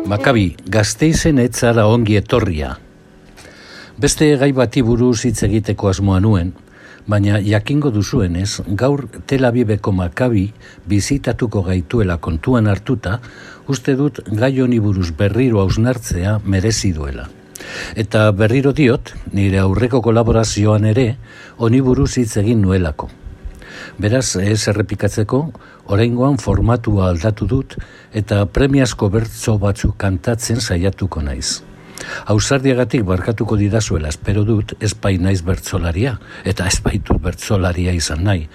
Makabi, Gasteizen ez zara ongi etorria. Beste gai bati buruz hitz egiteko asmoa nuen, baina jakingo duzuenez, gaur Tel Aviveko Makabi bizitatuko gaituela kontuan hartuta, uste dut gai honi buruz berriro hausnartzea merezi duela. Eta berriro diot, nire aurreko kolaborazioan ere, honi buruz hitz egin nuelako. Beraz, ez errepikatzeko, oraingoan formatua aldatu dut eta premiazko bertso batzuk kantatzen saiatuko naiz. Ausardiagatik barkatuko didazuela espero dut, ez bai naiz bertsolaria, eta ez baitut bertsolaria izan nahi,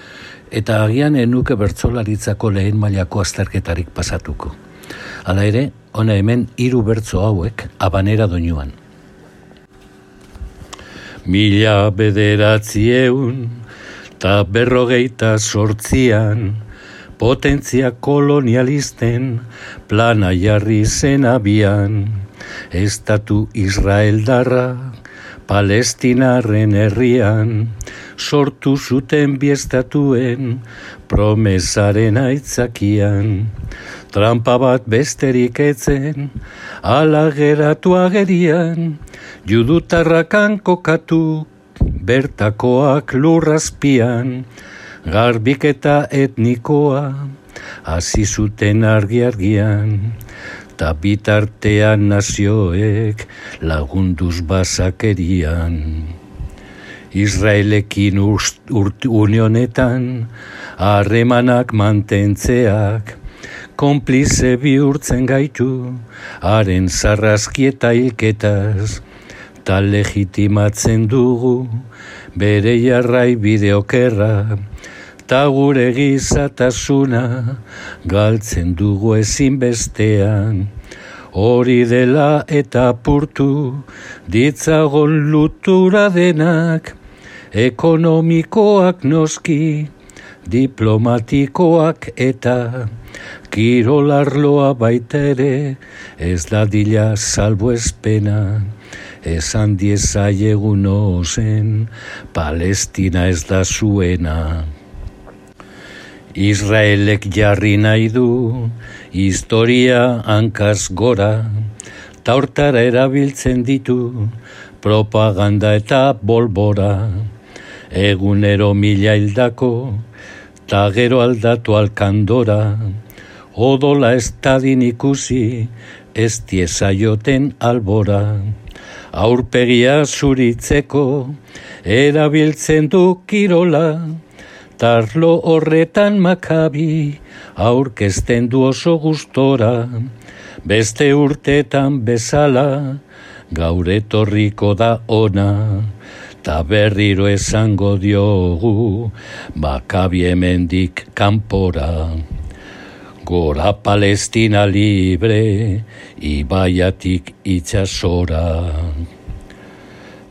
eta agian enuke bertsolaritzako lehen mailako azterketarik pasatuko. Hala ere, hona hemen 3 bertso hauek habanera doinuan. 1948an, potentzia kolonialisten plana jarri zen abian, estatu israeldarra palestinarren herrian, sortu zuten bi estatuen promesaren aitzakian. Trampa bat besterik etzen, ala geratu agerian, judutarrakan kokatu, bertakoak lurrazpian, garbiketa etnikoa, hasi zuten argi-argian, ta bitartean nazioek lagunduz basakerian. Israelekin unionetan, harremanak mantentzeak, konplize bihurtzen gaitu, haren zarrazkieta hilketaz, ta legitimatzen dugu, bere jarrai bideokerra, ta gure gizatasuna, galtzen dugu ezinbestean. Hori dela eta apurtu, ditzagon lutura denak, ekonomikoak noski, diplomatikoak eta kirolarloa baita ere, ez dadila salbuespena. Esan diezaiegun ozen, Palestina ez da zuena. Israelek jarri nahi du, historia hankaz gora, ta hortara erabiltzen ditu, propaganda eta bolbora. Egunero 1000 hildako, ta gero aldatu alkandora, odola ez tadin ikusi, ez tiezaioten albora. Aurpegia zuritzeko, erabiltzen du kirola, tarlo horretan Makabi, aurkezten du oso gustora, beste urtetan bezala, gaur etorriko da ona, ta berriro esango diogu, Makabi hemendik kanpora. Gora Palestina libre, ibaiatik itsasora.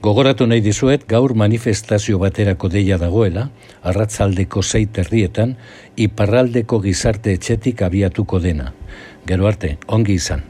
Gogoratu nahi dizuet, gaur manifestazio baterako deia dagoela, arratsaldeko 6:00 iparraldeko gizarte etxetik abiatuko dena. Gero arte, ongi izan.